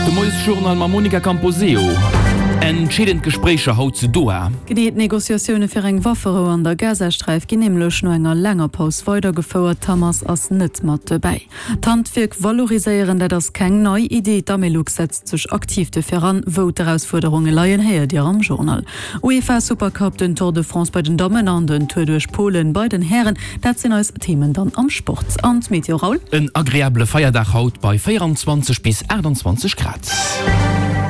De Moiesjournal mam Monica Camposeo. Entscheedend Gespréicher haut zu Doha. Genee, d'Negociatioune fir eng Wafferou an der Gazasträif ginn nämlech no enger laanger Paus weidergefouert. D'Hamas ass net mat dobäi. D'Handwierk valoriséieren, dat ass keng nei Idee. D'Amelux setzt sech aktiv dofir an. Wou d'Erausfuerderunge leien, héiert Dir am Journal. UEFA Supercup, den Tour de France bei den Dammen an den Tour duerch Polen bei den Hären, dat sinn eis Themen dann am Sport. An d'Meteo, Raoul? En agreabele Feierdag haut bei 24 bis 28 Grad.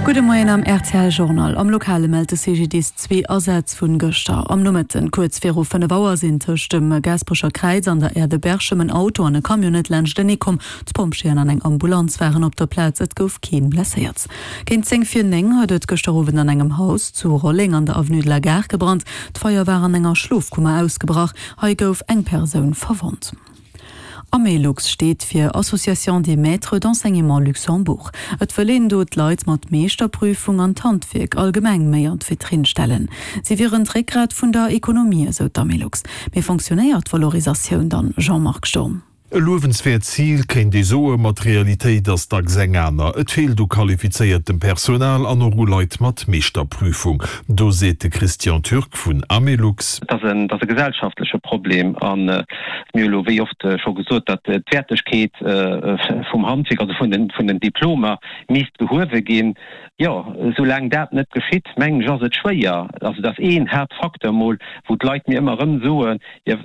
Gudde Moien am rtl Journal. Am Lokale mellt de CGDIS zwee Asätz vun gëschter am Nomëtten. Kuerz viru 5 Auer sinn tëscht dem Gaasperecher Kräiz an der Aire de Berchem en Auto an e Camion net laanschtenee komm. D'Pompjeeën an eng Ambulanz waren op der Plaz, et gouf keen blesséiert. Géint 10 vir 9 huet et gëschter Owend an engem Haus zu Rolleng an der Avenue de la Gare gebrannt. D'Feier war an enger Schlofkummer ausgebrach. Hei gouf eng Persoun verwonnt. Amelux steet fir Association des Maîtres d'Enseignement Luxembourg. Et wëll een do d'Leit mat Meeschterprüfung an d'Handwierk allgemeng méi an d'Vitrinn stellen. Si wieren d'Réckgrat vun der Ekonomie, esou d'Amelux. Mee fonctionnéiert d'Valorisatioun dann, Jean-Marc Sturm? E luewenswäert Zil, kéint ee soen, ma d'Realitéit ass dacks eng aner. Et feelt u qualifizéiertem Personal an och u Leit mat Meeschterprüfung. Do seet de Christian Türk vun Amelux. Et ass e gesellschaftleche Problem a mir hu elo wéi oft scho gesot, datt d'Wäertegkeet vum Handwierk, also vun den Diplomer, misst gehuewe ginn. Jo, soulaang dat net geschitt, mengen ech, ass et schwéier. Also dat ass een Haaptfacteur mol, wou d'Leit mir ëmmer erëm soen, Jo,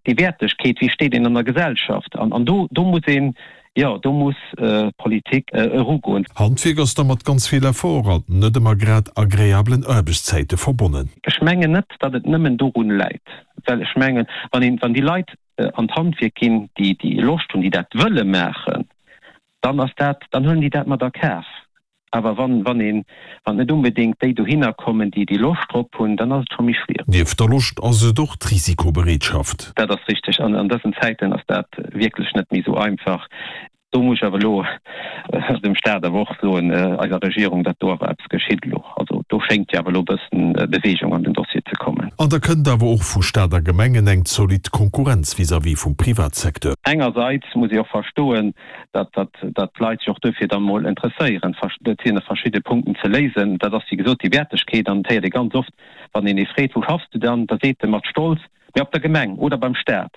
déi Wäertegkeet, wéi steet een an der Gesellschaft? An do, do muss een, jo, do muss d'Politik erugoen. Handwierk ass da mat ganz vill Effort an net ëmmer grad agreablen Aarbechtszäite verbonnen. Ech mengen net, datt et nëmmen dorun läit, well ech mengen, wann een, wann déi Leit an d'Handwierk ginn, déi, déi Loscht hunn, déi dat wëlle maachen, dann ass dat, dann huelen déi dat mat a Kaf. Awer wann, wann een, wann net onbedéngt déi dohinner kommen, déi déi Loscht drop hunn, dann ass et scho méi schwiereg. Nieft der Loscht ass et och d'Risikobereetschaft. Dat ass richteg. An an dësen Zäiten ass dat wierklech net méi esou einfach. Do muss ech awer elo dem Staat awer och soen, eiser Regierung, datt do awer eppes geschitt elo. Also do schéngt jo awer elo e bëssen Beweegung an den Dossier ze kommen. An da kënnt awer och vu Staat a Gemengen eng zolidd Konkurrenz vis-à-vis vum Privatsecteur. Engerseits muss ee och verstoen, datt d'Leit sech och duerfir dann emol interesséieren. Et sinn verschidde Punkten ze léisen. Dat ass, wéi gesot, déi Wäertegkeet. An et héiert ee ganz oft, wann een ee freet, Wou schaffs du dann? Da seet e mat Stolz, Mee op der Gemeng oder beim Staat.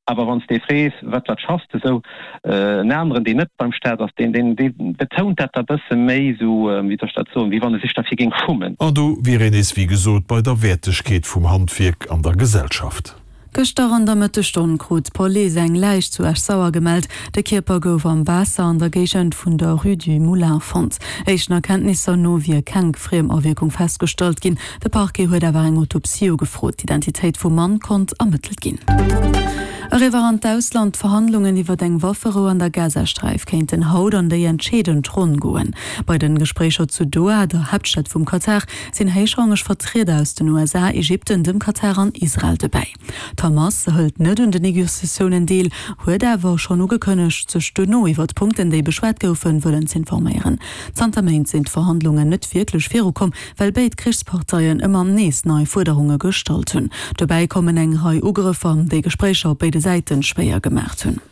Awer wann s de ee frees, Wat, wat schaffs de esou? En aneren, deen net beim Staat ass, deen, deen betount dat da bësse méi esou, wéi soll ech dat soen, wéi wann e sech derfir géing schummen. An do wier een nees, wéi gesot, bei der Wäertegkeet vum Handwierk an der Gesellschaft. Gëschter an der Mëttesstonn krut d'Police eng Läich zu Esch-Sauer gemellt. De Kierper gouf am Waasser an der Géigend vun der Rue du Moulin fonnt. Éischten Erkenntnisser no wier keng Friemawierkung festgestallt ginn. De Parquet huet awer eng Autopsie ugefrot. D'Identitéit vum Mann konnt ermëttelt ginn. Eriwwer an d'Ausland, D'Verhandlungen iwwer eng Wafferou an der Gazasträif kéinten haut an déi entscheedend Ronn goen. Bei den Gespréicher zu Doha, der Haaptstad vum Katar, sinn héichrangeg Vertrieder aus den USA, Ägypten, dem Katar an Israel dobäi. D'Hamas hëlt net un den Negociatiounen deel, huet awer schonn ugekënnegt, sech duerno iwwer d'Punkten, déi beschwat goufen, wëllen z'informéieren. Zanter Méint sinn d'Verhandlungen net wierklech virukomm, well béid Krichsparteien ëmmer nees nei Fuerderunge gestallt hunn. Dobäi kommen eng Rei Ugrëffer, déi Gespréicher op béide Säite schwéier gemaacht hunn.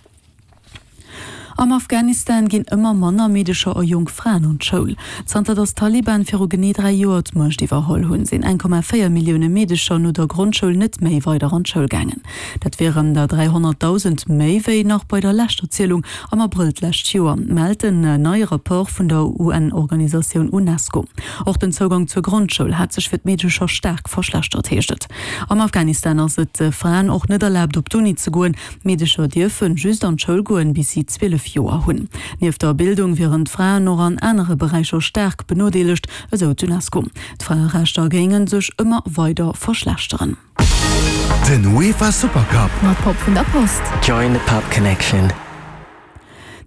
Am Afghanistan ginn ëmmer manner Meedecher a jonk Fraen an d'Schoul. Zanter datt d'Taliban viru genee 3 Joer d'Muecht iwwerholl hunn, sinn 1,4 Millioune Meedecher no der Grondschoul net méi weider an d'Schoul gaangen. Dat wieren der 300.000 méi wéi nach bei der leschter Zielung am Abrëll d'lescht Joer, mellt en neie Rapport vun der UN-Organisatioun Unesco. Och den Zougang zur Grondschoul hat sech fir d'Meedecher staark verschlechtert, heescht et. Am Afghanistan ass et Fraen och net erlaabt op d'Uni ze goen. D'Meedecher dierfe just an d'Schoul goen, bis si 12 Joer hunn. Nieft der Bildung wieren d'Fraen och an anere Beräicher staark benodeelegt, esou d'UNESCO. D'Fraerechter géinge sech ëmmer weider verschlechteren. Den UEFA Supercup. Mat Pop vun der Post. Join the Pop Connection.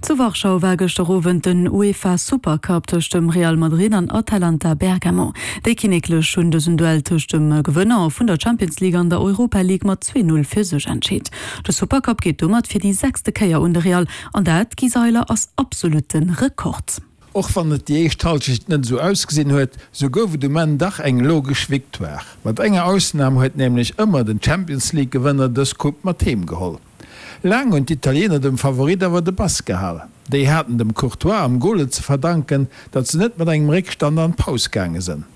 Zu Warschau war gëschter Owend den UEFA Supercup tëscht dem Real Madrid an Atalanta Bergamo. Déi Kinneklech hunn dësen Duell tëscht dem Gewënner vun der Champions League an der Europa League mat 2, 0 fir sech entscheet. De Supercup geet domat fir déi sechste Kéier un de Real an dat, Guy Seiler, ass absolutte Rekord. Och wann et déi éischt Halschecht net esou ausgesinn huet, sou gouf et um Enn dach eng logesch Victoire. Mat enger Ausnam huet nämlech ëmmer den Champions League Gewënner dës Coupe mat heem geholl. Laang hunn d'Italiener dem Favorit awer de Pass gehal. Déi haten dem Courtois am Gol et ze verdanken, datt se net mat engem Réckstand an d'Paus gaange sënn.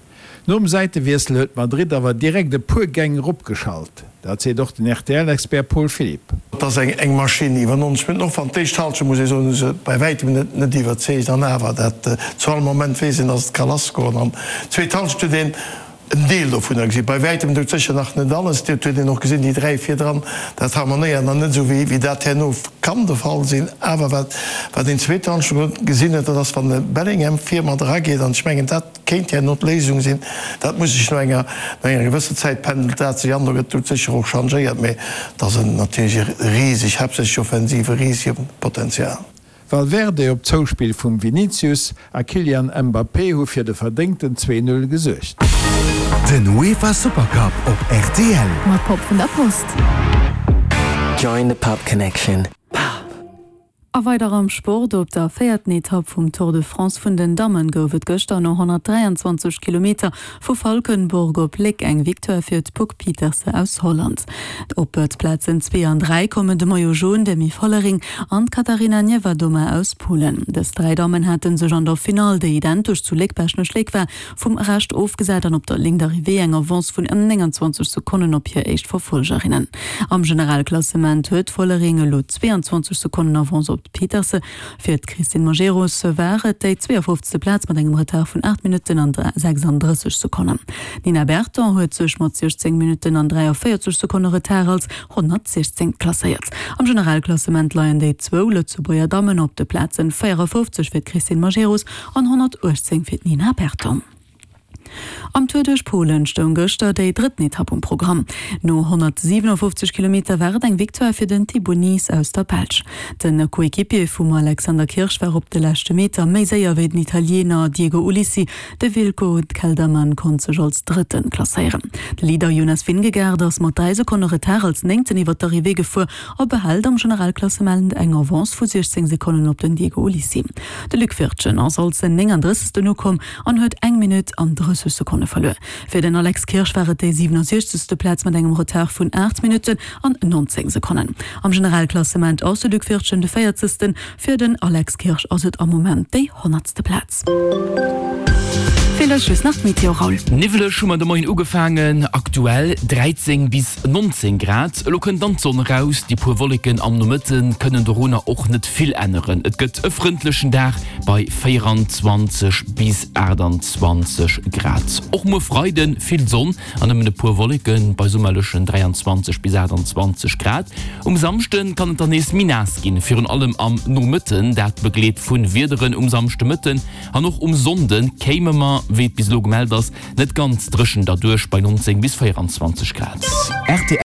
Nom Säitewiessel huet Madrid awer direkt e puer Gäng eropgeschalt. Dat seet och den RTL-Expert Paul Philipp. Et ass eng Maschinn iwwer 90 Minutten, och wann d'éischt Halschent, muss ee soen, hu se bei wäitem net iwwerzeegt. An awer, dat zu all Moment weess een, datt et ka lassgoen. An d'zweet Halschent huet een en Deel dovunner gesinn, bei wäitem dout sécher nach net alles. Dat huet een och gesinn, déi 3 virdran, dat harmonéiert nach net esou wéi dat herno kann de Fall sinn. Awer wat wat een zweet Halschent gesinn huet, dat ass wann de Bellingham vir mat erageet, an ech mengen dat kéint herno d'Léisung sinn, dat muss sech no enger no enger gewësser Zäit pendelt dat sech an, do gëtt dout sécher och changéiert, mä et ass en natierlech e riseg, haaptsächlech offensiv, e risege Potenzial. Valverde op Zouspill vum Vinicius a Kylian Mbappé hu fir de verdéngten 2, 0 gesuergt. Den UEFA Supercup op rtl. Mat Pop vun der Post. Join the Pop Connection. Pop. A weider am Sport, Op der véierten Etapp vum Tour de France vun den Dammen gouf et gëschter no 123 Kilometer vu Valkenburg op Léck eng Victoire fir d'Puck Pieterse aus Holland. Op d'Plazen zwee an dräi kommen de Maillot Jaune Demi Vollering an d'Katarina Niewiadoma aus Polen. Dës dräi Dammen hate sech an der Finall, déi identesch zu Léck-Baaschtnech-Léck war, vum Rescht ofgesat an op der Ligne d'arrivée eng Avance vun ëm 29 Sekonnen op hir éischt Verfollgerinnen. Am Generalklassement huet d'Vollering elo 22 Sekonnen Avance op d'Pieterse. Fir d'Christine Majerus war et déi 52. Plaz mat engem Retard vun 8 Minutten an 36 Sekonnen. D'Nina Berton huet sech mat 16 Minutten an 43 Sekonne Retard als 116. Klasséiert. Am Generalklassement leien déi zwou Lëtzebuerger Dammen op de Plazen 54 fir d'Christine Majerus an 118 fir d'Nina Berton. Am Tour duerch Polen stoung gëschter déi drëtten Etapp um Programm. No 157 Kilometer war et eng Victoire fir den Thibau Nys aus der Belsch. De Coequipier vum Alexander Kirsch war op de leschte Meter méi séier wéi den Italiener Diego Ulissi. De Wilco Kelderman konnt sech als Drëtten klasséieren. De Leader Jonas Vingegaard ass mat 3 Sekonne Retard als Néngten iwwer d'Arrivée gefuer a behält am Generalklassement eng Avance vu 16 Sekonnen op den Diego Ulissi. De Luc Wirtgen ass als 39. Ukomm an huet eng Minutt an 30 Sekonne verluer. Fir den Alex Kirsch war et déi 67. Plaz mat engem Retard vun 8 Minutten an 19 Sekonnen. Am Generalklassement ass de Luc Wirtgen de 40. Fir den Alex Kirsch ass et am Moment déi honnertste Plaz. Feelt eis just nach d'Meteo, Raoul. Niwweleg hu mer de Moien ugefaangen, aktuell 13 bis 19 Grad. Elo kënnt dann d'Sonn eraus, déi puer Wolleken am Nomëtte kënnen dorunner och net vill änneren. Et gëtt e frëndlechen Dag bei 24 bis 28 Grad. Och muer Freide vill Sonn an nëmmen e puer Wolleken bei summerlechen 23 bis 28 Grad. Um Samschde kann et dann nees méi naass ginn, virun allem am Nomëtten, dat begleet vu Wiederen um Samschdemëtten. An och um Sonnde kéime mer, wéi et bis elo gemellt ass, net ganz dréchen derduerch bei 19 bis 24 Grad.